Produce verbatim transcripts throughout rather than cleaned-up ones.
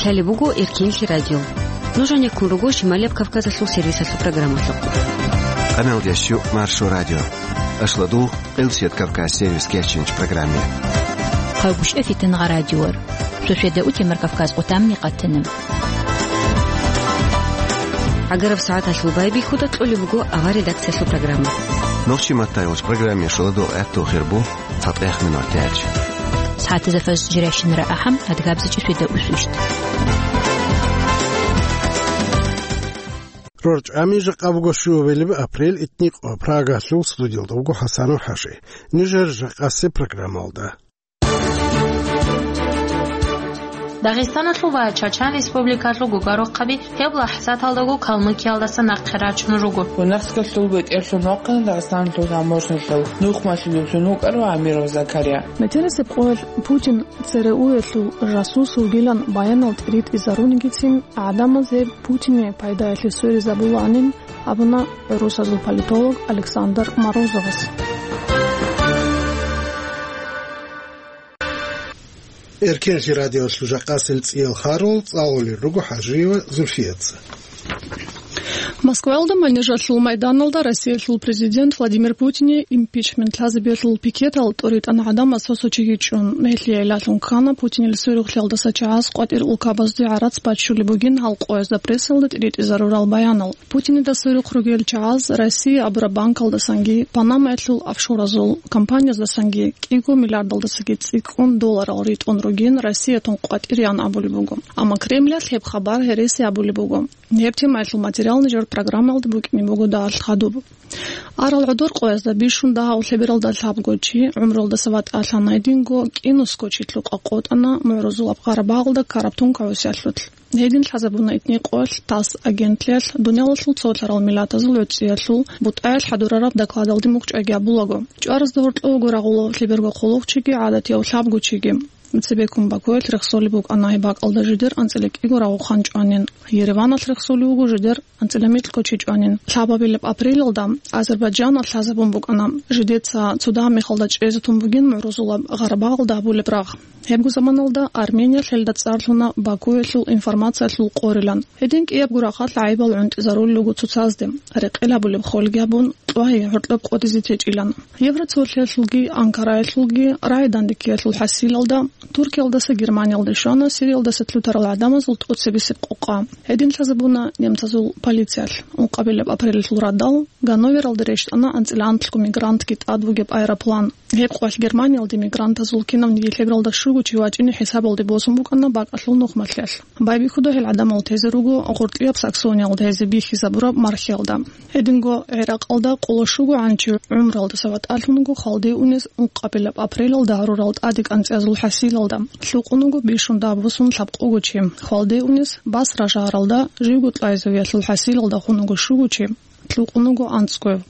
Лъалеб буго Эркенлъи радио. Нуж гьанеккун руго Шималияб Кавказалъул сервисалъул программалъухъ. Къаналдиясчу Маршо радио. Ашладул Къилсият Кавказ сервис кечинч программе. Хъавбушев Фитингъа радиор. Суседа утемар Кавказ къутамни къатана. ГӀагараб сагӀаталъул байбихьуда кьолеб буго авар редакциялъул программа. Нохчи маттайолч программе шуладул гӀаттул хирбу. ЦатӀех минут тяч. СагӀатазда фаз жиращинара ахӀам, адгабзичӀи светда усущт. РорчӀами жакъа буго щуабилеб апрель, итникъо Прагалъул студиялда вуго ХӀасанов ХӀажи. Нижер жакъасе программалда. Дагъистаналъул ва Чачан Республикалъул гугарухъаби гьеб лахӀзаталдаго Калмыкиялдаса нахъе рачун руго. ЮНЕСКОлъул бетӀерлъун вахъана Дагъистаналъул таможнялъул нухмалъулевлъун вукӀарав Амиров Закария. Метерисеб къоялъ Путин ЦРУялъул жасус вугилан баянал тӀиритӀизарунигицин гӀадамаз гьеб Путине пайдаялъе сверизабуланин абуна гӀурусазул политолог Александр Морозовас. Эркенлъи радиолъул жакъасел цӀиял харул цӀалулел руго ХӀажиева Зульфияца. Москваялда Манежалъул майданалда Россиялъул президент Владимир Путине импичмент лъазабиялъул пикетал тӀоритӀана гӀадамаз цо-цо чиги чӀун. Гьелъие гӀиллалъун ккана Путинил сверухълъиялдаса чагӀаз къватӀир улкабазде гӀарац баччулеб бугин гьал къоязда прессалда тӀиритӀизарурал баянал. Путинида сверухъ ругел чагӀаз Россия абураб банкалдасанги, Панамаялъул офшоразул компанияздасанги кӀиго миллиардалдасаги цӀикӀкӀун долларал ритӀун ругин Россиятун къватӀиреян абулеб буго. Амма Кремлалъ гьеб хабар гьереси абулеб буго. Гьеб темаялъул материал нижер программаялда букӀине буго дагьалъ хадуб. Арал гӀодор къоязда бищун дагьав лъебералда лъабго чи гӀумруялдаса ватӀалъана, гьединго кӀинусго чи лъукъа къотӀана МугӀрузулаб Къарабагъалда ккараб тункагӀусиялъулъ. Гьедин лъазабуна итни къоялъ ТАСС агентлъиялъ дуниялалъул цолъарал миллатазул гӀуцӀиялъул бутӀаялъ хӀадурараб докладалде мухӀчӀайги абулаго. ЧӀваразда гьоркьовго рагъула лъеберго хъулухъчиги гӀадатияв лъабго чиги. Цебеккун Бакуялъ рехсолеб букӀана гьеб бакӀалда жидер анцӀила кӀиго рагъухан чӀванин, Ереваналъ рехсолев вуго жидер анцӀила микьго чи чӀванин. Лъабабилеб апрелалда Азербайджаналъ лъазабун букӀана жидеца цо дагьаб мехалда чӀезе тун бугин МугӀрузулаб Гъарабагъалда гьабулеб рагъ. Гьебго заманалда Армениялъ гьелда цӀар лъуна Бакуялъул информациялъул къорилан. Гьедин кӀиябго рахъалъ гӀайибал гӀунтӀизарулел руго цоцазде, рекъел гьабулеб холги гьабун, кьвагьи гьоркьоб къотӀизе течӀилан. Евроцолъиялъулги Анкараялъулги рагӀи-дандеккиялъул хӀасилалда, Туркиялдаса Германиялде щвана Сириялдаса лъутарал гӀадамазул тӀоцебесеб къокъа. Гьедин лъазабуна немцазул полициялъ. Ункъабилеб апрелалъул радал Ганновералде рещтӀана анцӀила анлъго мигрантги тӀад вугеб аэроплан. Гьеб къоялъ Германиялде мигрантазул кинавниги лъебералда щуго чи вачӀине хӀисабалде босун букӀана бакӀалъул нухмалъиялъ. Байбихьуда гьел гӀадамал тезе руго гъоркьияб Саксониялда гьезие бихьизабураб мархиялда. Гьединго ГӀиракъалда къоло щуго гӀанчи гӀумралдаса ватӀалъун вуго хвалде унез ункъабилеб апрелалда гьарурал тӀаде кӀанцӀиязул хӀасилалда. Лъукъун вуго бищун дагьаб босун лъабкъого чи. Хвалде унез Басра шагьаралда живго кьвагӀизавиялъул хӀасилалда хун вуго щуго чи. Лъукъун вуго анцӀгояв.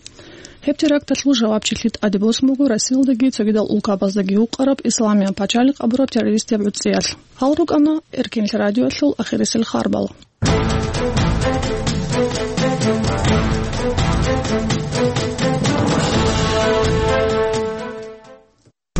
Гьеб теракталъул жавабчилъи тӀаде босун буго Россиялдаги цогидал улкабаздаги вукъараб Исламияб пачалихъ абураб террористияб гӀуцӀиялъ. Гьал рукӀана Эркенлъи радиоялъул ахирисел харбал.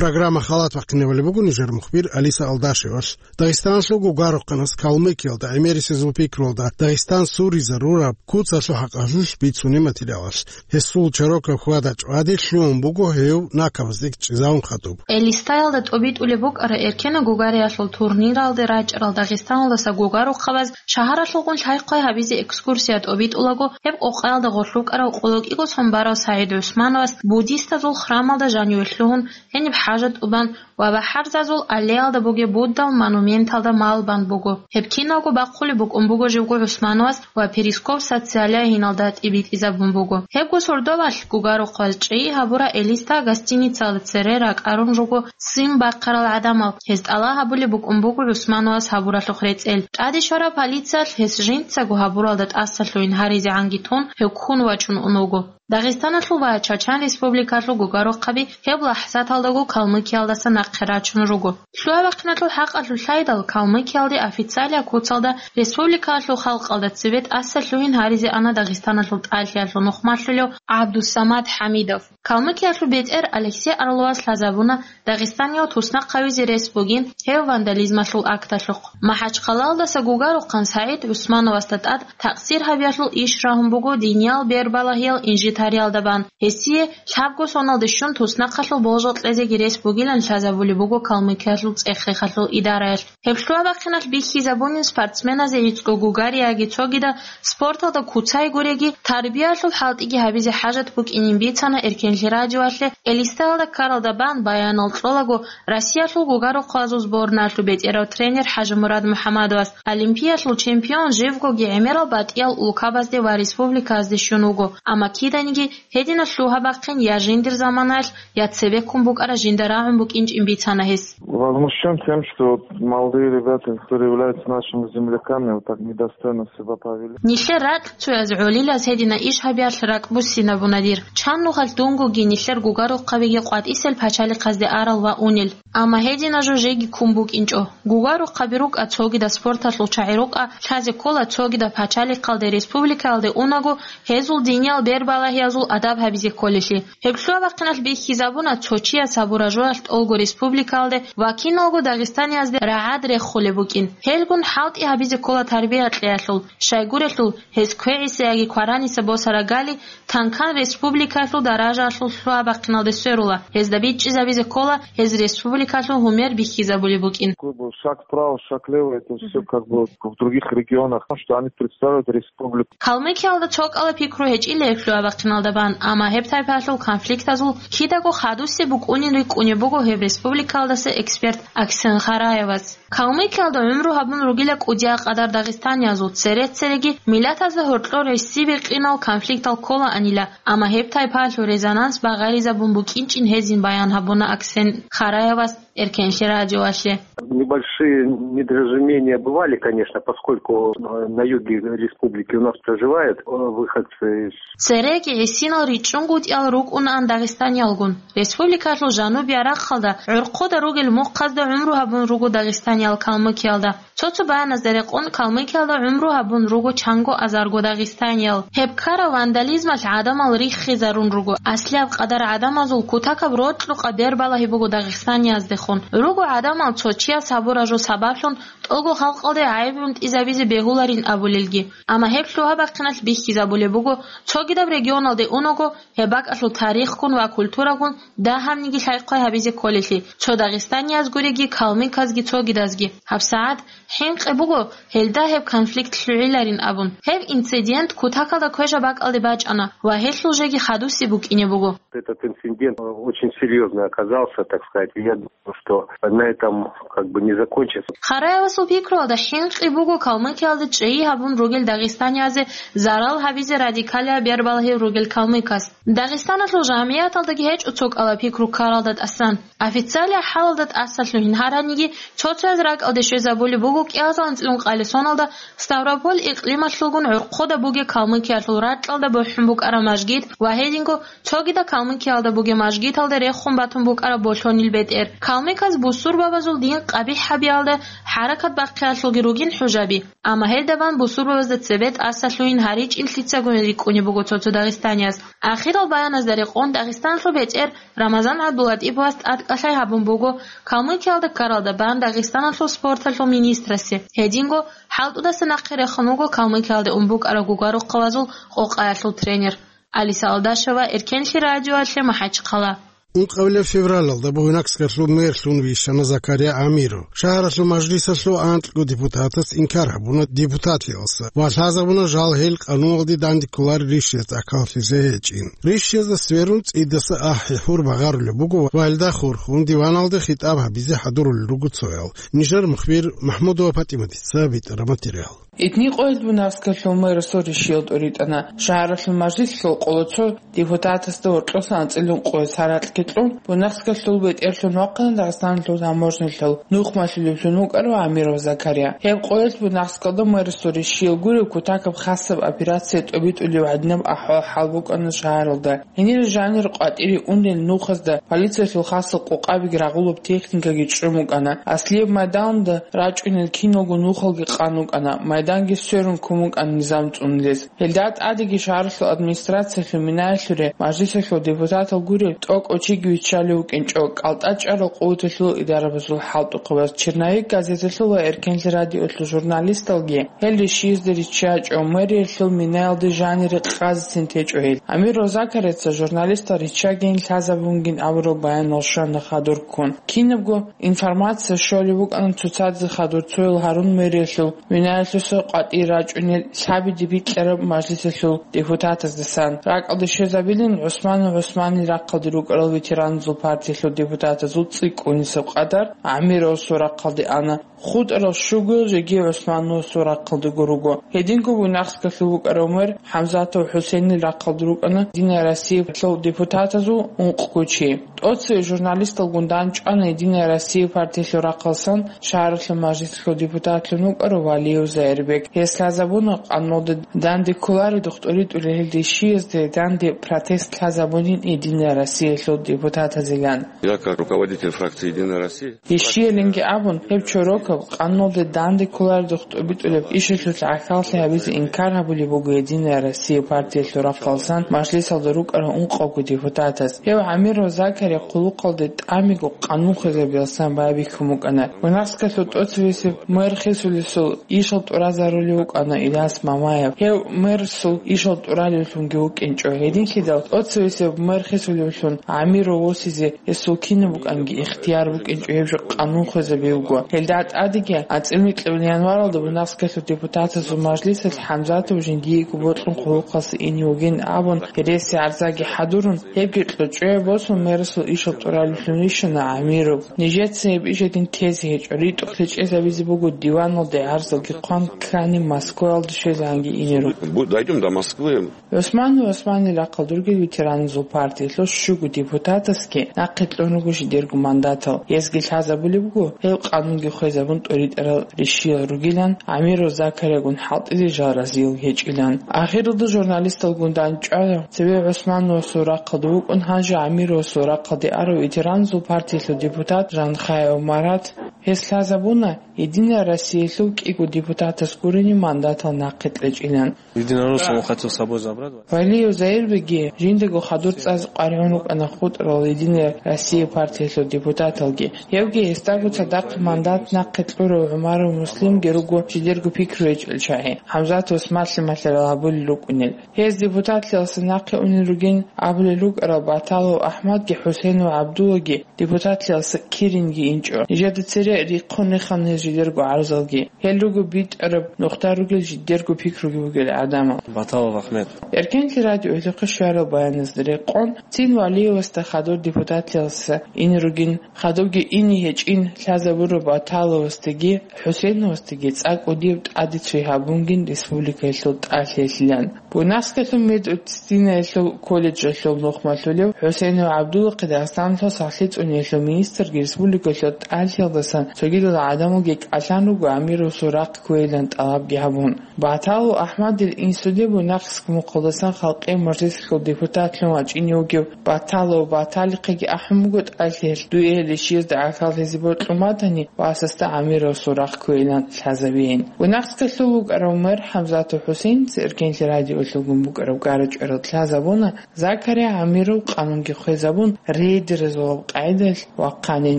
Программа халат вахъинавали буго нижер мухбир Алиса Алдашевас. Дагъистаналъул гугарухъанас Калмыкиялда гӀемерисезул пикруялда Дагъистан суризарураб куцалъул хӀакъалъулъ бицунеб материалалъ. Гьесул чорокаб хьвада-чӀвади лъугьун буго гьев накабазде чӀезавун хадуб. Элистаялда тӀобитӀулеб букӀара эркена гугариялъул турниралде рачӀарал Дагъистаналдаса гугарухъабаз шагьаралъулгун лъай-хъвай гьабизе экскурсия тӀобитӀулаго, гьеб къокъаялда гъорлъ вукӀарав къоло кӀиго сон барав СагӀид ГӀусмановас буддистазул храмалда жаниве лъугьун гьениб хӀажат тӀубан ва БахӀарзазул аллеялда бугеб Буддал монументалда малбан буго. Гьеб киналго бахъулеб букӀун буго живго ГӀусмановас ва Перископ социалияй гьиналда тӀибитӀизабун буго. Гьебго сордовалъ гугарухъаз чӀей гьабура Элиста гостиницалда цере ракӀарун руго ццин бахъарал гӀадамал. Гьез тӀалаб гьабулеб букӀун буго ГӀусмановас гьабуралъухъ рецӀел. ТӀаде щвараб полициялъ гьес жинцаго гьабуралда тӀасалъугьин гьаризегӀанги тун, гьев ккун вачӀун ун вуго. Дагъистаналъул ва Чачан Республикалъул гугарухъаби гьеб лахӀзаталдаго Калмыкиялдаса нахъе рачун руго. Лъугьа-бахъиналъул хӀакъалъулъ лъайдал, Калмыкиялде официалияб куцалда республикалъул халкъалда цебе тӀаса лъугьин гьаризе ана Дагъистаналъул тӀалъиялъул нухмалъулев ГӀабдусамат ХӀамидов. Калмыкиялъул бетӀер Алексей Орловас лъазабуна Дагъистаниял туснахъ гьавизе рес бугин гьев вандализмалъул акталъухъ. МахӀачхъалаялдаса гугарухъан СагӀид ГӀусмановасда тӀад такъсир гьабиялъул иш рагьун буго диниял бербалагьиял инжитариялда бан. Гьесие лъабго соналде щун туснахъалъул болжал кьезеги рес бугилан лъазабулеб буго Калмыкиялъул цӀех-рехалъул идараялъ. Гьеб лъугьа-бахъиналъ бихьизабунин спортсменазе гӀицӀго гугари яги цогидал спорталда куцай гуреги, тарбиялъул хӀалтӀиги гьабизе хӀажат букӀинин бицана Эркенлъи радиоялъе. Элистоялда ккаралда бан баянал кьолаго Россиялъул гугарухъазул сборналъул бетӀерав тренер ХӀажимурад МухӀамадовас. Олимпиялъул чемпион живгоги гӀемерал батӀиял улкабазде ва республикаялде щун вуго, амма киданиги гьединаб лъугьа-бахъин я жиндир заманаялъ, я цебеккун букӀараб жинда рагӀун букӀинчӀин бицана гьес. Возмущен тем, что вот молодые ребята, которые являются нашими земляками, вот так недостойно себя повели. Нилъер ракьцояз гӀолилаз гьедина иш гьабиялъ ракӀ буссинабуна дир. Чан нухалъ дунгоги нилъер гугарухъабиги къватӀисел пачалихъазде арал ва унел. Амма гьедина жо жеги ккун букӀинчӀо. Гугарухъаби рукӀа цогидаб спорталъул чагӀи рукӀа, лъазе ккола цогидаб пачалихъалде, республикаялде унаго, гьезул диниял бербалагьиязул адаб гьабизе кколелъи. Гьеб лъугьа-бахъиналъ бихьизабуна цо чияс гьабураб жоялъ тӀолго республикаялде ва киналго дагъистаниязде рагӀад рехулеб букӀин. Гьелгун хӀалтӀи гьабизе ккола тарбия кьеялъул, щайгурелъул гьез квегӀиса яги квараниса босарагали танкан республикалъул даражаялъул лъугьа-бахъиналде сверула, гьезда бичӀчӀизабизе ккола гьез республикалъул гьумер бихьизабулеб букӀин. Как бы шаг вправо, шаг влево, это всё как бы в других регионах, потому что они представляют республику. Калмыкиялда цо кӀала пикру гьечӀила гьеб лъугьа-бахъиналда бан, амма гьеб тайпаялъул конфликтазул кидаго хадусеб букӀунин рикӀкӀунеб буго гьеб республикаялдаса эксперт Аксен Хараевас. Калмыкиялда гӀумру гьабун ругила кӀудиял къадар дагъистаниязул, цере-цереги миллатазда гьоркьор гӀиси-бикъинал конфликтал кколаанила, амма гьеб тайпаялъул резонанс багъаризабун букӀинчӀин гьезин баян гьабуна Аксен Хараевас Эркенлъи радиоялъе. Небольшие недоразумения бывали, конечно, поскольку, э, на юге республики у нас проживают, э, выходцы из Цереги гӀисинал ричӀчӀунгутӀиял рукӀунаан дагъистаниялгун. Республикалъул жанубияб рахъалда гӀурхъуда ругел мухъазда гӀумру гьабун руго дагъистаниял Калмыкиялда. Цо-цо баяназда рекъон, Калмыкиялда гӀумру гьабун руго чанго азарго дагъистаниял. Гьеб ккараб вандализмалъ гӀадамал риххизарун руго. Аслияб къадар гӀадамазул кутакаб рокьукъа бербалагьи буго дагъистанияздехун. Руго гӀадамал цо чияс гьабураб жо сабаблъун тӀолго халкъалде гӀайиб гӀунтӀизабизе бегьуларин абулелги. Амма гьеб лъугьа-бахъиналъ бихьизабулеб буго, цогидаб регионалде унаго, гьеб бакӀалъул тарихгун ва культурагун дагьабниги лъай-хъвай гьабизе кколелъи, цо дагъистанияз гуреги, калмыказги цогидазги. ГьабсагӀат хӀинкъи буго гьелда гьеб конфликт лъугӀиларин абун. Гьеб инцидент кутакалда квешаб бакӀалде бачӀана ва гьелъул жеги хадусеб букӀине буго. Этот инцидент, э, очень серьёзный оказался, так сказать. Я думаю, что на этом как бы не закончится. Хараевасул пикруялда хӀинкъи буго Калмыкиялда чӀей гьабун ругел дагъистаниязе зарал гьабизе радикалияб бербалагьи ругел калмыкас. Дагъистаналъул жамигӀаталдаги гьечӀо цо кӀала пикру ккаралда тӀасан. Официалияб хӀалалда тӀаса лъугьин гьараниги, цо-цояз ракӀалде щвезабулеб буго кӀиазул анцӀила ункъабилеб соналда Ставрополь икълималъулгун гӀурхъуда бугеб Калмыкиялъул ракьалда бухӀун букӀараб мажгит ва гьединго цогидаб Калмыкиялда бугеб мажгиталда рехун батун букӀараб болъонил бетӀер. Калмыказ бусурбабазул дин къабихӀ гьабиялда хӀаракат бахъиялъулги ругин хӀужаби. Амма гьелда бан бусурбабазда цебе тӀаса лъугьин гьаричӀин лъицагун рикӀкӀунеб буго цо-цо дагъистанияз. Ахирал баяназда рекъон Дагъистаналъул бетӀер Рамазан ГӀабдулатӀиповас тӀадкӀалъай гьабун буго Калмыкиялда ккаралда бан Дагъистаналъул спорталъул министрасе. Гьединго хӀалтӀудаса нахъе рехун вуго Калмыкиялда ун букӀараб гугарухъабазул къокъаялъул тренер. Алиса Алдашева, Эркенлъи радиоялъе, МахӀачхъала. Ункъабилеб февралалда Буйнакскалъул мэрлъун вищана Закария Амиров. Шагьаралъул мажлисалъул анкьго депутатас инкар гьабуна депутатиялса ва лъазабуна жал гьел къануналде дандекколарел ришшиялъ тӀахьаллъизе гьечӀин. Ришшиязда сверун цӀидаса ахӀи-хӀур багъарулеб буго ва гьелда хурхун диваналде хитӀаб гьабизе хӀадурулел руго цоял. Нижер мухбир МахӀмудова ПатӀиматица битӀараб материал. Итни къоялъ Буйнакскалъул мэрасул ришшиял тӀуритӀана. Шагьаралъул мажлислъул къоло цо депутатасда гьоркьосан анцӀила ункъоялъ гьаракь Гьикьун, Буйнакскалъул бетӀерлъун вахъана Дагъистаналъул таможнялъул нухмалъулевлъун вукӀарав Амиров Закария. Гьеб къоялъ Буйнакскалда мэрасул рищиял гуреб кутакаб хасаб операция тӀобитӀулев гӀадинаб ахӀвал-хӀал букӀана шагьаралда. Гьенир жанир къватӀире унел нухазда полициялъул хасал къокъабиги рагъулаб техникаги чӀун букӀана. Аслияб майданда рачӀунел киналго нухалги къан букӀана, майданги сверун ккун букӀана низам цӀунулес. Гьелда тӀадеги шагьаралъул администрациялъул минаялъуре мажлисалъул депутатал гуреб тӀокӀав чиги виччалев вукӀинчӀо кӀалтӀа чӀарал къуваталъул идарабазул хӀалтӀухъабаз. Черновик газеталъул ва Эркенлъи радиолъул журналисталги гьел рищиязда риччачӀо, мэриялъул минаялде жанире къазецин течӀо гьел. Амиров Закарияца журналистал риччагийин лъазабунгин абураб баянал щвана хадур ккун. Кинабго информация щолеб букӀана цоцазе хадур цоял гьарун мэриялъул минаялъуса къватӀир рачӀунел лъабиде бикьараб мажлисалъул депутатаздасан. РакӀалде щвезабилин ГӀусманов ГӀусманил рахъалде рукӀарал ветераназул партиялъул депутатазул цӀикӀкӀунисеб къадар Амировасул рахъалде ана. ХутӀарал щугоял жеги ГӀусмановасул рахъалдего руго. Гьединго Буйнакскалъул вукӀарав мэр ХӀамзатов ХӀусейнил рахъалде рукӀана Единая Россиялъул депутатазул ункъго чи. ТӀоцеве журналисталгун дандчӀвана Единая Россия партиялъул рахъалсан шагьаралъул мажлисалъул депутатлъун вукӀарав Валиев Заирбек. Гьес лъазабуна къануналда данде кколареб духтӀуритӀулел гьел рищиязде данде протест лъазабунин Единая Россиялъул депутатазилан. Я как руководитель фракции «Единая Россия». Ишиялинги абун, гьеб чорокаб къануналде данде кколареб духтӀуритӀулеб ишалъулъ гӀахьаллъи гьабизе инкар гьабулеб буго Единая Россия партиялъул рахъалсан мажлисалда рукӀарал ункъавго депутатас. Гьев Амиров Закария хъулухъалде тӀамиго къанун хвезабиялсан байбихьун букӀана. Буйнакскалъул тӀоцевесеб мэр хисулесул ишал тӀуразарулев вукӀана Ильяс Мамаев. Гьев мэрасул ишал тӀуралевлъунги вукӀинчӀо. Гьединлъидал тӀоцевесеб мэр хисулевлъун Амиров восизе гьесул кинаб букӀанги ихтияр букӀинчӀо, гьеб жо къанун хвезабиуго. Гьелда тӀадеги анцӀила микьабилеб январалда Буйнакскалъул депутатазул мажлисалъ ХӀамзатов жиндиего бокьун хъулухъалъе ине вугин абун, гьереси гӀарзаги хӀадурун, гьебги кьучӀуе босун, мэрасул ишал тӀуралевлъун вищана Амиров. Нижеца гьеб иш гьедин тезе гьечӀо, ритӀухълъи чӀезабизе буго диваналде гӀарзалги хъван ккани Москваялде щвезегӀанги ине руго. Бу-, дойдём до Москвы. ГӀусманов ГӀусманил рахъалде ругел ветераназул партиялъул щуго депутатасги нахъе кьун руго жидерго мандатал. Гьезги лъазабулеб буго, гьев къанунги хвезабун тӀоритӀарал рищиял ругилан, Амиров Закариягун хӀалтӀизе жал разиял гьечӀилан. Ахиралда журналисталгун дандчӀвана цеве ГӀусмановасул рахъалде вукӀун, гьанже Амировасул рахъалде арав ветераназул партиялъул депутат Жанхаев Марат. Гьес лъазабуна, Единая Россиялъул кӀиго депутатас гурени мандатал нахъе кьечӀилан. Единороссов он хотел с собой забрать. Валиев Заирбекги жиндаго хадур цӀазе къваригӀун рукӀана хутӀарал Единая Россия партиялъул депутаталги. Гьевги гьесдаго цадахъ мандат нахъе кьурав ГӀумаров Муслимги руго жидерго пикру гьечӀел чагӀи, ХӀамзатовас малъи-малъарал гьабулел рукӀунел. Гьез депутатлъиялдаса нахъе унел ругин абулел рукӀарал Баталов АхӀмадги ХӀусейнов ГӀабдуллаги депутатлъиялдаса киринги инчӀо. Нижеда цере рихъун рехана гьез жидерго гӀарзалги. Гьел руго битӀараб нухда ругел жидерго пикруги бугел гӀадамал. Баталов Ахмед. Эркенлъи радиоялъухъе щварал баяназда рекъон, цин Валиевасда хадур депутатлъиялдаса ине ругин, хадубги ине гьечӀин лъазабураб Баталовасдаги ХӀусейновасдаги цӀакъ кӀудияб тӀаде цой гьабунгин республикаялъул тӀалъиялъилан. Буйнакскалъул медицина Динаялъул колледжалъул нухмалъулев ХӀусейнов ГӀабдулахъе Дагъистаналъул сахлъи цӀуниялъул министрги республикалъул тӀалъиялдасан цогидал гӀадамалги кӀалъан руго Амировасул рахъ кквейилан тӀалабги гьабун. Баталов АхӀмадил инсуде Буйнакск мухъалдасан халкъи мажлисалъул депутатлъун вачӀине вугев Баталов Баталихъеги ахӀун буго тӀалъиялъ, дуе гьел ишиязда гӀахьаллъизе бокьун батани, васасда Амировасул рахъ кквейилан лъазабейин. Буйнакскалъул вукӀарав мэр ХӀамзатов ХӀусейница Эркенлъи радиоялъулгун букӀараб гара-чӀварал лъазабуна, Закария Амиров къанунги хвезабун, рейдерзабазул къагӀидаялъ вахъанин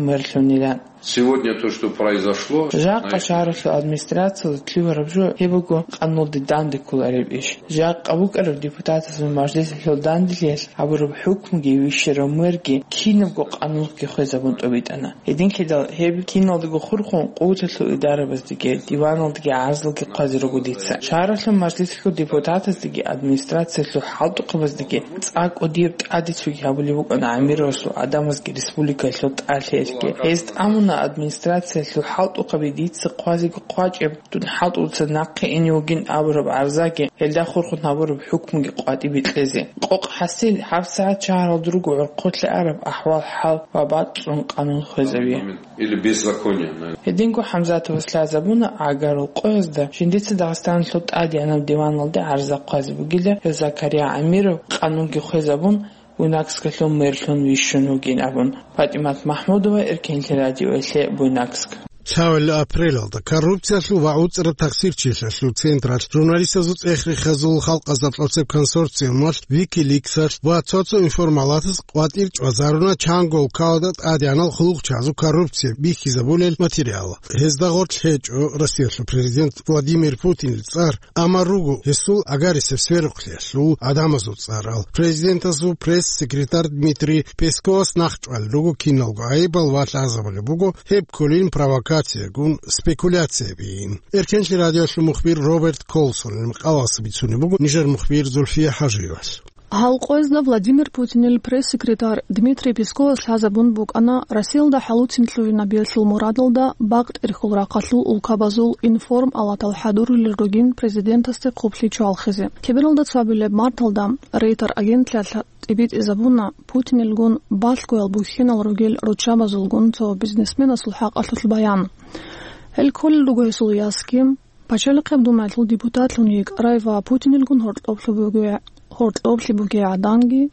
мерлъунилан. Сегодня то, что произошло, жакъа знаете, шагьаралъул администрациялда лъугьараб жо гьеб буго къануналде данде кколареб иш. Жакъа букӀараб депутатазул мажлисалъул данделъиялъ гьабураб хӀукмуги вищарав мэрги кинабго къанунги хвезабун тӀобитӀана. Гьединлъидал гьеб киналдаго хурхун къуваталъул идарабаздаги, диваналдаги гӀарзалги хъвазе руго дица. Шагьаралъул мажлисалъул депутатаздаги, администрациялъул хӀалтӀухъабаздаги цӀакъ кӀудияб тӀаде цоги гьабулеб букӀана Амировасул гӀадамазги республикаялъул тӀалъиялъги. Гьез тӀамуна администрациялъул хӀалтӀухъаби дица хъвазеги хъвачӀеб, дун хӀалтӀуца нахъе ине вугин абураб гӀарзаги, гьелда хурхун гьабураб хӀукмуги къватӀибе кьезе. Къокъ хӀасил, гьабсагӀат шагьаралда руго гӀурхъулъе араб ахӀвал-хӀал ва бацӀцӀун къанун хвезаве. Или беззаконие, наверное. Гьединго ХӀамзатовас лъазабуна гӀагарул къоязда жиндица Дагъистаналъул тӀадегӀанаб диваналде гӀарза хъвазе бугила, гьев Закария ГӀамиров къанунги хвезабун, Буйнакскалъул мэрлъун вищун вугин абун. ПатӀимат МахӀмудова, Эркенлъи радиоялъе, Буйнакск. Лъабкъоялда апрелалда коррупциялъул ва гӀуцӀраб тахсирчилъиялъул централъ, журналистазул цӀех-рехазул халкъазда тӀоцеб консорциумалъ, Wikileaks-алъ ва цо-цо информалатаз къватӀир чӀвазаруна чанго улкалда тӀадегӀанал хъулухъчагӀазул коррупция бихьизабулел материал. Гьезда гъорлъ гьечӀо Россиялъул президент Владимир Путинил цӀар, амма руго гьесул агарисеб сверухълъиялъул гӀадамазул цӀарал. Президентасул пресс-секретарь Дмитрий Песковас нахъчӀвалел руго киналго гӀайибал ва лъазабулеб буго гьеб кколин провокациягун, спекуляциябин. Эркенлъи радиоялъул мухбир Роберт Колсонил макъалаялъ бицунеб буго нижер мухбир Зульфия ХӀажиевалъ. Гьал къоязда Владимир Путинил пресс-секретарь Дмитрий Песковас лъазабун букӀана Россиялда хӀалуцин лъугӀинабиялъул мурадалда бакъ тӀерхьул рахъалъул улкабазул информалатал хӀадурулел ругин президентасде хъублъи чвалхизе. Кибералда цоабилеб марталда Рейтер агентлъиялъ тӀибитӀизабуна Путинилгун балъгоял бухьинал ругел руччабазулгун цо бизнесменасул хӀакъалъулъ баян. Гьел кколел руго гьесул ясги, Пачалихъеб Думаялъул депутатлъун йикӀарай ва Путинилгун гьоркьоблъи бугей, гьоркьоблъи бугей гӀаданги,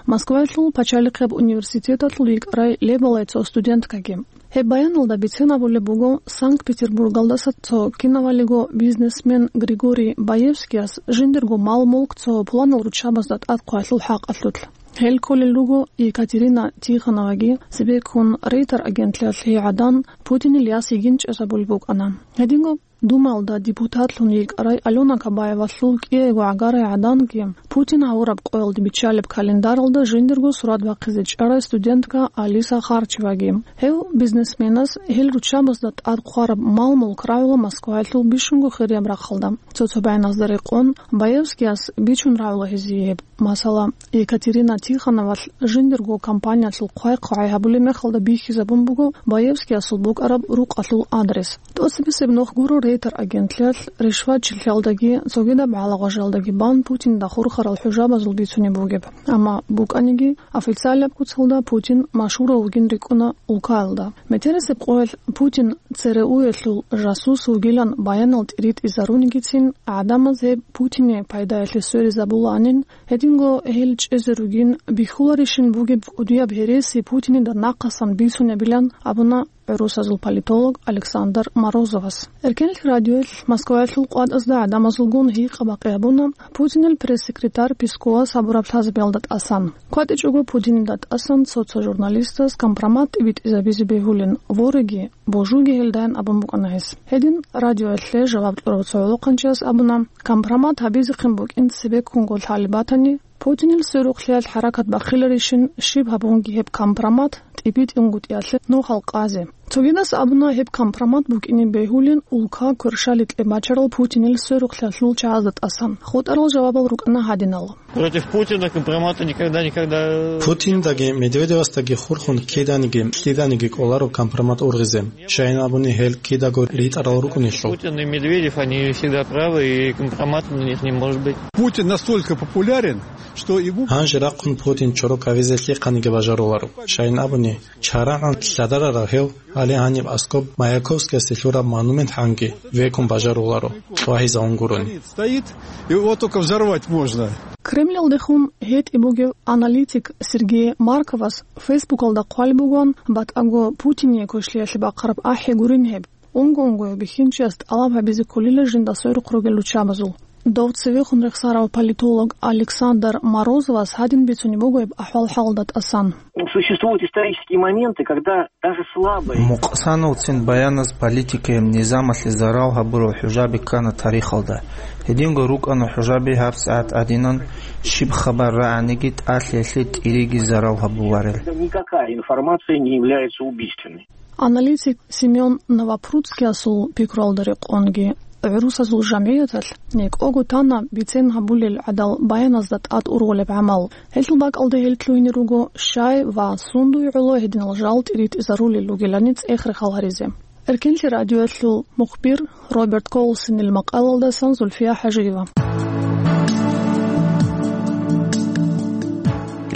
Москваялъул пачалихъеб университеталъул йикӀарай лебалай цо студенткаги. Гьеб баяналда бицен абулеб буго Санкт-Петербургалдаса цо кинавалиго бизнесмен Григорий Баевскияс жиндирго мал-мулк цо пуланал руччабазда тӀад хъвалъул хӀакъалъулъ. Гьел кколел руго Екатерина Тихоноваги, цебеккун Рейтер агентлъиялъ гьей гӀадан Путинил яс йигин чӀезабулеб букӀана. Гьединго Думаялда депутатлъун йикӀарай Алёна Кабаевалъул кӀиего гӀагарай гӀаданги Путин гьавураб къоялде биччалеб календаралда жиндирго сурат бахъизе чӀарай студентка Алиса Харчеваги. Гьев бизнесменас гьел руччабазда тӀад хъвараб мал-мулк рагӀула Москваялъул бищунго хирияб рахъалда. Цо-цо баяназда рекъон, Баевскияс бичун рагӀула гьезие гьеб. Масала, Екатерина Тихоновалъ жиндирго компаниялъул хъвай-хъвай гьабулеб мехалда бихьизабун буго Баевскиясул букӀараб рукъалъул адрес. ТӀоцебесеб нух гуро Рейтер агентлъиялъ ришватчилъиялдаги цогидаб гӀалагъважалдаги бан Путинда хурхарал хӀужабазул бицунеб бугеб. Амма букӀаниги, официалаб куцалда Путин машгьурав вугин рикӀкӀуна улкаялда. Метерисеб къоялъ Путин ЦРУ-ялъул жасус вугилан баянал тӀиритӀизарунгицин, гӀадамаз гьеб Путине пайдаялъе сверизабулаанин, гьединго гьел чӀезе ругин бихьуларищин бугеб кӀудияб гьереси Путинида нахъасан бицунебилан абуна гӀурусазул политолог Александр Морозовас. Эркенлъи радиоялъ Москваялъул къватӀазда гӀадамазулгун гьикъа-бакъи гьабуна Путинил пресс-секретарь Песковас гьабураб лъазабиялда тӀасан. КватӀичӀого Путинида тӀасан цо-цо журналистаз компромат тӀибитӀизабизе бегьулин, вореги, божуги гьелдайин абун букӀана гьес. Гьедин радиоялъе жаваб кьурав цо гӀолохъанчияс абуна, компромат гьабизехъин букӀин цебеккунго лъалеб батани, Путинил сверухълъиялъ хӀаракат бахъиларищин, щиб гьабунги гьеб компромат тӀибитӀунгутӀиялъе нухал къазе. Цогидас абуна гьеб компромат букӀине бегьулин улка кверщаликье бачарал Путинил сверухълъиялъул чагӀазда тӀасан. ХутӀарал жавабал рукӀана гьадинал. Против Путина компромата никогда, никогда. Путиндаги Медведевасдаги хурхун киданиги, киданиги кӀоларо компромат ургъизе. Щайин абуни гьел кидаго ритӀарал рукӀунелъул. Путин и Медведев, они всегда правы, и компромата на них не может быть. Путин настолько популярен, что ему... Гьанже рахъун Путин чорок гьавизе лъихъаниги бажаруларо. Щайин абуни, чарагӀан лъадарарав гьев, гьале гьаниб аскӀоб Маяковскиясе лъураб монумент гьанги векун бажаруларо, чӀвагьизавун гурони. Стоит, его только взорвать можно. Кремльалдехун гьетӀи бугев аналитик Сергей Марковас Фейсбукалда хъвалеб бугоан, батӀаго Путине квешлъиялъе бахъараб ахӀи гурин гьеб. Унго-унгояв бихьинчияс тӀалаб гьабизе кколила жинда сверухъ ругел руччабазул. Дов цевехун рехсарав политолог Александр Морозовас гьадин бицунеб буго гьеб ахӀвал-хӀалда тӀасан. Существуют исторические моменты, когда даже слабые... Мукъсановцин баяназ политикаяб низамалъе зарал гьабурал хӀужаби ккана тарихалда. Гьединго рукӀана хӀужаби гьабсагӀат гӀадинан, щиб хабар рагӀаниги тӀалъиялъе тӀириги зарал гьабуларел. Никакая информация не является убийственной. Аналитик Семён Новопрудскиясул пикруялда рекъонги, гӀурусазул жамгӀияталъ некӀого тана бицен гьабулел гӀадал баяназда тӀад ургъулеб гӀамал. Гьелъул бакӀалда гьел лъугьине руго щай ва сундуй гӀоло гьединал жал тӀиритӀизарулел ругелани цӀех-рехал гьаризе. Эркенлъи радиоялъул мухбир Роберт Колсонил макъалалдасан Зульфия ХӀажиева.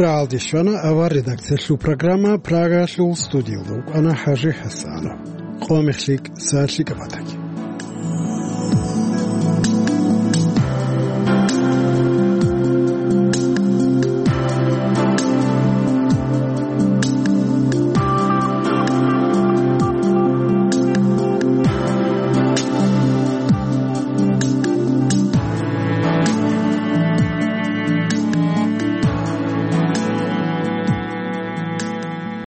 РагӀалде щвана авар редакциялъул программа, Прагаялъул студиялда вукӀана ХӀажи ХӀасанов. Къо мехлъи, сагӀат лъикӀаб батаги.